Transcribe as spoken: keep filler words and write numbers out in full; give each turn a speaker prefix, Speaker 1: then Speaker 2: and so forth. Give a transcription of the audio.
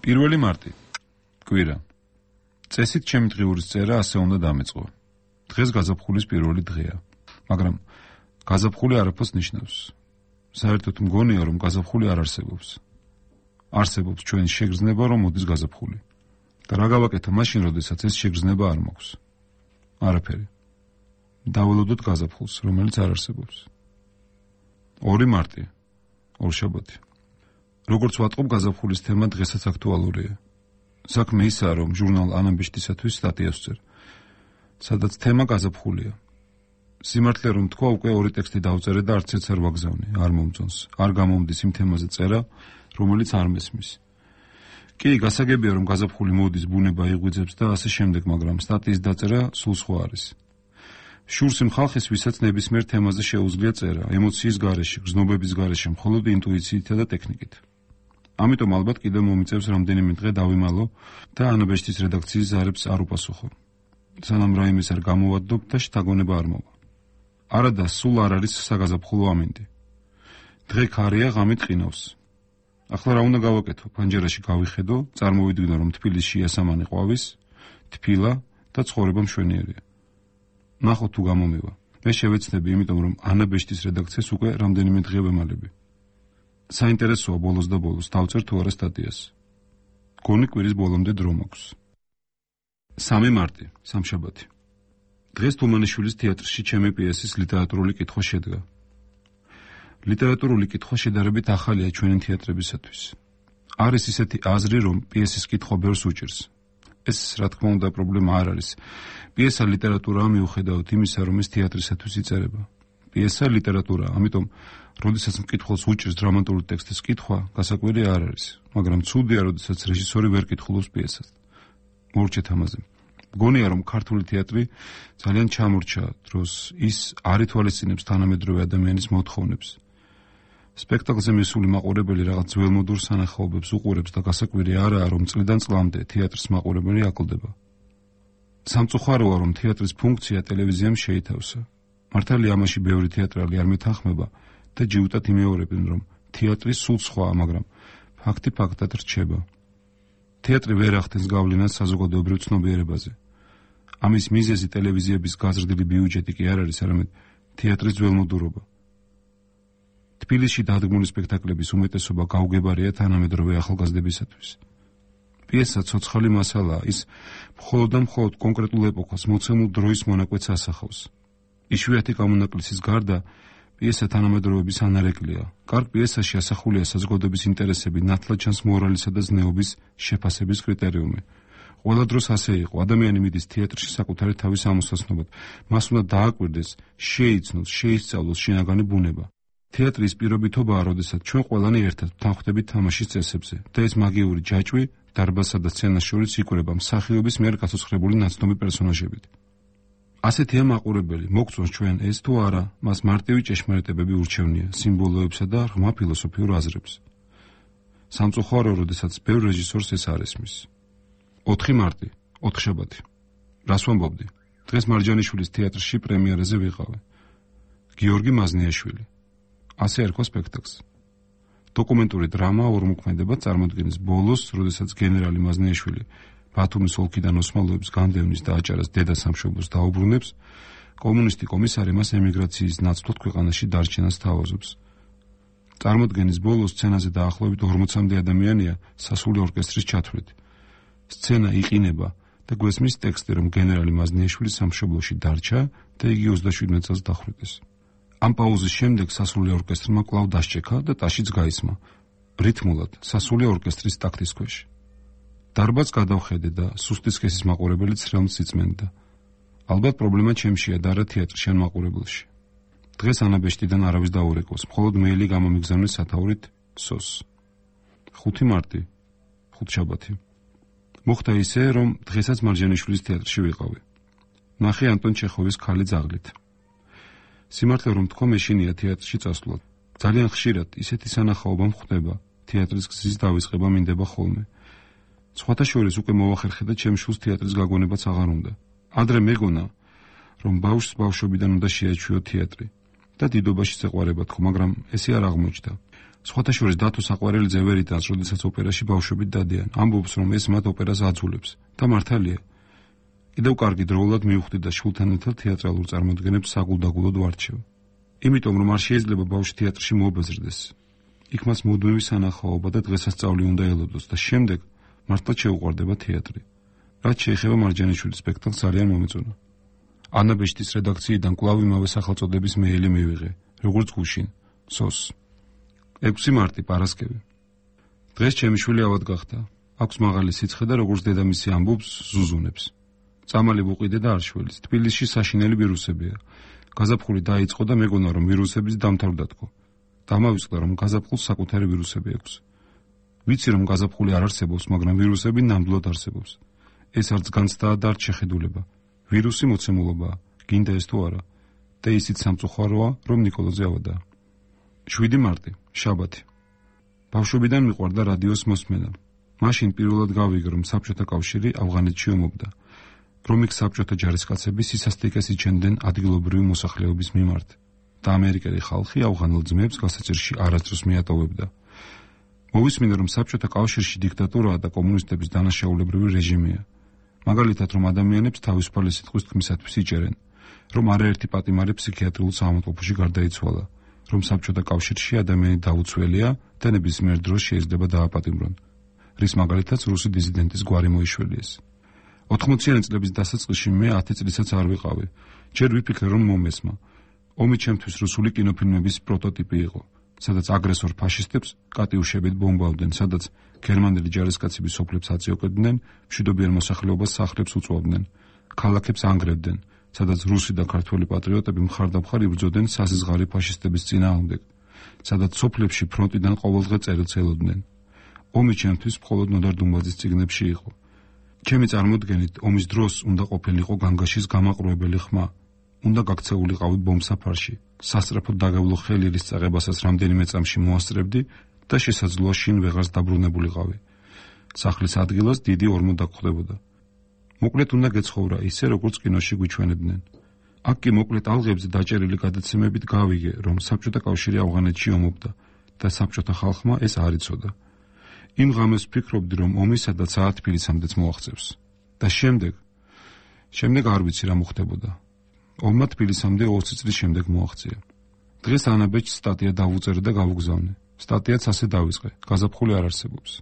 Speaker 1: პირველი მარტი. კვირა. წესით ჩემი დღიურის წერა ასე უნდა დამეწყო. დღეს გაზაფხულის პირველი დღეა. მაგრამ გაზაფხული არაფერს ნიშნავს. საერთოდ მგონია, რომ გაზაფხული არ არსებობს. არსებობს ჩვენი შეგრძნება, რომ მოდის გაზაფხული. და რა გავაკეთო მაშინ, როდესაც ეს შეგრძნება არ მაქვს? არაფერი. დაველოდოთ გაზაფხულს, რომელიც არ არსებობს. ორი მარტი. ორშაბათი. როგორც ვატყობ, გაზაფხულის თემა დღესაც აქტუალურია. საქმე ისაა, რომ ჟურნალ ანაბეჭდისათვის სტატიას ვწერ, სადაც თემა გაზაფხულია. სიმართლე რომ თქვა, უკვე ორი ტექსტი დავწერე და არც ერთს არ ვაგზავნე, არ მომწონს, არ გამომდის იმ თემაზე წერა, რომელიც არ მესმის. კი, გასაგებია, რომ გაზაფხული მოდის, ბუნება იღვიძებს და ასე შემდეგ, მაგრამ სტატიის დაწერა სულ სხვა არის. შურს იმ ხალხის, ვისაც ნებისმიერ თემაზე შეუძლია წერა, ემოციის გარეშე, გრძნობების გარეშე, მხოლოდ ინტუიციით და ტექნიკით. ამიტომ ალბათ კიდევ მომიწევს რამდენიმე დღე დავიმალო და ანაბეჭდის რედაქციის ზარებს არ უპასუხო. სანამ რაიმეს არ გამოვადობ და შთაგონება არ მოვა. არადა, სულ არ არის საგაზაფხულო ამინდი. დღე ქარია, ღამით ყინავს. ახლა რა უნდა გავაკეთო? პანჯერაში გავიხედო, წარმოვიდგინო, რომ თბილისში ასამანი ყვავის, თბილა და ცხოვრება მშვენიერია. ნახოთ თუ გამომივა. მე შევეცდები, იმიტომ რომ ანაბეჭდის რედაქციას უკვე რამდენიმე დღე ვემალები. საინტერესოა ბოლოს და ბოლოს დავწერ თუ არა სტატიას. გონი კვირის ბოლომდე დრო მაქვს. სამი მარტი, სამშაბათი. დღეს თუმანიშვილის თეატრში ჩემი პიესის ლიტერატურული კითხვა შედგა. ლიტერატურული კითხვა შედარებით ახალია ჩვენი თეატრებისათვის. არის ისეთი აზრი, რომ პიესის კითხვა ბევრს უჭირს. ეს, რა თქმა უნდა, პრობლემა არ არის. პიესა ლიტერატურაა მიუხედავად იმისა, რომ ის თეატრისათვის იწერება. პიესა ლიტერატურაა, ამიტომ, როდესაც მკითხველს უჭირს დრამატული ტექსტის კითხვა, გასაკვირი არ არის, მაგრამ ცუდია, როდესაც რეჟისორი ვერ კითხულობს პიესას. მორჩეთ ამაზე. მგონია, რომ ქართული თეატრი ძალიან ჩამორჩა დროს ის არ ითვალისწინებს თანამედროვე ადამიანის მოთხოვნებს. სპექტაკლზე მისული მაყურებელი რაღაც ძველმოდურ სანახაობებს უყურებს და გასაკვირი არაა, რომ წლიდან წლამდე თეატრის მაყურებელი აკლდება. სამწუხაროა, რომ თეატრის ფუნქცია ტელევიზიამ შეითავსა. მართალია, ამაში ბევრი თეატრალი არ მეთანხმება და ჯიუტად იმეორებენ, რომ თეატრი სულ სხვაა, მაგრამ ფაქტი ფაქტად რჩება. თეატრი ვერ ახდენს გავლენას საზოგადოებრივ ცნობიერებაზე. ამის მიზეზი ტელევიზიების გაზრდილი ბიუჯეტი კი არ არის, არამედ თეატრის ძველმოდურობა. თბილისში დადგმული სპექტაკლების უმეტესობა გაუგებარია თანამედროვე ახალგაზრდებისათვის. პიესა ცოცხალი მასალაა, ის მხოლოდ და მხოლოდ კონკრეტულ ეპოქას, მოცემულ დროის მონაკვეთს ასახავს. იშვიათი გამონაკლისის გარდა, პიესა თანამედროვეობის ანარეკლია. კარგ პიესაში ასახულია საზოგადოების ინტერესები, ნათლად ჩანს მორალისა და ზნეობის შეფასების კრიტერიუმი. ყველა დროს ასე იყო. ადამიანი მიდის თეატრში საკუთარი თავის ამოსაცნობად. მას უნდა დააკვირდეს, შეიცნოს, შეისწავლოს შინაგანი ბუნება. თეატრის პირობითობაა, როდესაც ჩვენ ყველანი ერთად ვთანხმდებით თამაშის წესებზე და ეს მაგიური ჯაჭვი დარბაზსა და სცენას შორის იკვრება მსახიობის მიერ გასოცხრებული ნაცნობი პერსონაჟებით. ასეთია მაყურებელი, მოგწონს ჩვენ ეს თუ არა, მას მარტივი ჭეშმარიტებები ურჩევნია, სიმბოლოებსა და ღრმა ფილოსოფიურ აზრებს. სამწუხარო, როდესაც ბევრ რეჟისორს ეს არ ესმის. ოთხი მარტი, ოთხშაბათი. რას ვამბობდი? დღეს მარჯანიშვილის თეატრში პრემიერაზე ვიყავი. გიორგი მაზნიაშვილი. ასე ერქვა სპექტაკლს. დოკუმენტური დრამა ორმოქმედება წარმოდგენის ბოლოს, როდესაც გენერალი მაზნიაშვილი ბათუმის ოლქიდან ოსმალოებს განდევნის და აჭარას დედა სამშობლოს დაუბრუნებს, კომუნისტი კომისარი მას ემიგრაციის ნაცვლად ქვეყანაში დარჩენას თავაზობს. წარმოდგენის ბოლოს სცენაზე დაახლოებით ორმოცამდე ადამიანია სასული ორკესტრის ჩათვლით. სცენა იყინება და გვესმის ტექსტი, რომ გენერალი მაზნიაშვილი სამშობლოში დარჩა და იგი ოცდაშვიდმეტ წელს დახვრიტეს. ამ პაუზის შემდეგ სასული ორკესტრმა კვლავ დასჭექა და ტაშიც გაისმა. რითმულად სასული ორკესტრის ტაქტის ქვეშ. დარბაზს გადავხედე და სუსტი სქესის მაყურებელიც ხელმს იწმენდა. ალბათ პრობლემა ჩემშია და არა თეატრში ან მაყურებელში. დღეს ანაბეჭდიდან არავის დაურეკოს, მხოლოდ მეილი გამომიგზავნეს სათაურით სოს. ხუთი მარტი, ხუთშაბათი. მოხდა ისე, რომ დღესაც მარჯანიშვილის თეატრში ვიყავი. ნახე ანტონ ჩეხოვის ქალი ძაღლით. სიმართლე რომ თქვა, მეშინია თეატრში წასვლა. ძალიან ხშირად ისეთი სანახაობა მხდება, თეატრის გზის დავიწყება მინდება ხოლმე. სხვათა შორის უკვე მოვახერხე და ჩემ შულს თეატრის გაგონებაც აღარ უნდა. ადრე მეგონა, რომ ბავშვს ბავშვობიდან უნდა შეაჩვიო თეატრი და დიდობაში ეყვარება თქო, მაგრამ ესე არ აღმოჩნდა. სხვათა შორის დათო საყვარელიძე ვერ იტანს, როდესაც ოპერაში ბავშვები დადიან. ამბობს, რომ ეს მათ ოპერას აძულებს. და მართალია. კიდევ კარგი დროულად მივხვდი და შვილთან ერთად თეატრალურ წარმოდგენებს საგულდაგულოდ ვარჩევ. იმიტომ რომ არ შეიძლება ბავშვი თეატრში მოაბეზრდეს. იქ მას მუდმივი სანახაობა და დღესასწაული უნდა ელოდოს და შემდეგ მართლაც შეუყვარდება თეატრი. რაც შეეხება მარჯანიშვილის სპექტაკლს ძალიან მომეწონა. ანა ბეშტის რედაქციიდან კვლავ იმავე სახელწოდების მეილი მივიღე, როგორც გუშინ, სოს. ექვსი მარტი, პარასკევი. დღეს ჩემი შვილი ავად გახდა. აქვს მაღალი სიცხე და როგორც დედამისი ამბობს, ზუზუნებს. წამალი ვუყიდე და არ შველის. თბილისში საშინელი ვირუსებია. გაზაფხული დაიწყო და მეგონა რომ ვირუსების დამთავრდათქო. დამავიწყდა რომ გაზაფხულს საკუთარი ვირუსები აქვს. ვიცი რომ გაზაფხული არ არსებობს, მაგრამ ვირუსები ნამდვილად არსებობს. ეს არც განცდაა და არც შეხედულება. ვირუსი მოცემულობაა, გინდა ეს თუ არა. და ისიც სამწუხაროა, რომ ნიკოლოზი ავადაა. შვიდი მარტი, შაბათი. ბავშვობიდან მიყვარდა რადიოს მოსმენა. მაშინ პირველად გავიგე, რომ საბჭოთა კავშირი ავღანეთში ომობდა. რომ იქ საბჭოთა ჯარისკაცები სისასტიკეს იჩენდნენ ადგილობრივი მოსახლეობის მიმართ და ამერიკელი ხალხი ავღანელ ძმებს გასაჭირში არასდროს მიატოვებდა. მოვისმინე, რომ საბჭოთა კავშირში დიქტატურაა და კომუნისტების დანაშაულებრივი რეჟიმია. მაგალითად, რომ ადამიანებს თავისუფალი სიტყვის თქმისათვის იჭერენ, რომ არაერთი პატიმარი ფსიქიატრიულ საავადმყოფოში გარდაიცვალა, რომ საბჭოთა კავშირში ადამიანი დაუცველია და ნებისმიერ დროს შეიძლება დააპატიმრონ, რის მაგალითაც რუსი დიზიდენტის გვარი მოიშველიეს. ოთხმოციანი წლების დასაწყისში მე ათი წლისაც არ ვიყავი. ჯერ ვიფიქრე, რომ მომესმა. ომი ჩემთვის რუსული კინოფილმების პროტოტიპი იყო, სადაც აგრესორ ფაშისტებს კატიუშებით ბომბავდნენ, სადაც გერმანელი ჯარისკაცები სოფლებს აწიოკებდნენ, მშვიდობიან მოსახლეობას სახლებს უწვავდნენ, ქალაქებს ანგრევდნენ, სადაც რუსი და ქართველი პატრიოტები მხარდამხარ იბრძოდნენ სასიზღარი ფაშისტების წინააღმდეგ, სადაც სოფლებში ფრონტიდან ყოველდღე წერილს ელოდნენ. ომი ჩემთვის მხოლოდ ნოდარ დუმბაძის წიგნებში იყო. ჩემი წარმოდგენით ომის დროს უნდა ყოფილიყო განგაშის გამაყრუებელი ხმა. უნდა გაქცეულიყავი ბომბსაფარში, სასწრაფოდ დაგევლო ხელი, რის წაღებასაც რამდენიმე წამში მოასწრებდი და შესაძლოა შინ ვეღარს დაბრუნებულიყავი. სახლის ადგილას დიდი ორმო დაგხვდებოდა. მოკლედ უნდა გეცხოვრა ისე, როგორც კინოში გვიჩვენებდნენ. აქ კი მოკლედ ალღებზე დაჭერილი გადაცემებით გავიგე, რომ საბჭოთა კავშირი ავღანეთში ომობდა და საბჭოთა ხალხმა ეს არ იცოდა. იმ ღამეს ვფიქრობდი, რომ ომი სადაც თბილისამდეც მოაღწევს. და შემდეგ, შემდეგ არ ვიცი რა მოხდებოდა. ომმა თბილისამდე ოცი წლის შემდეგ მოაღწია. დღეს ანა ბეჭდს სტატია დავუწერე და გავუგზავნე. სტატიაც ასე დავიწყე, გაზაფხული არ არსებობს.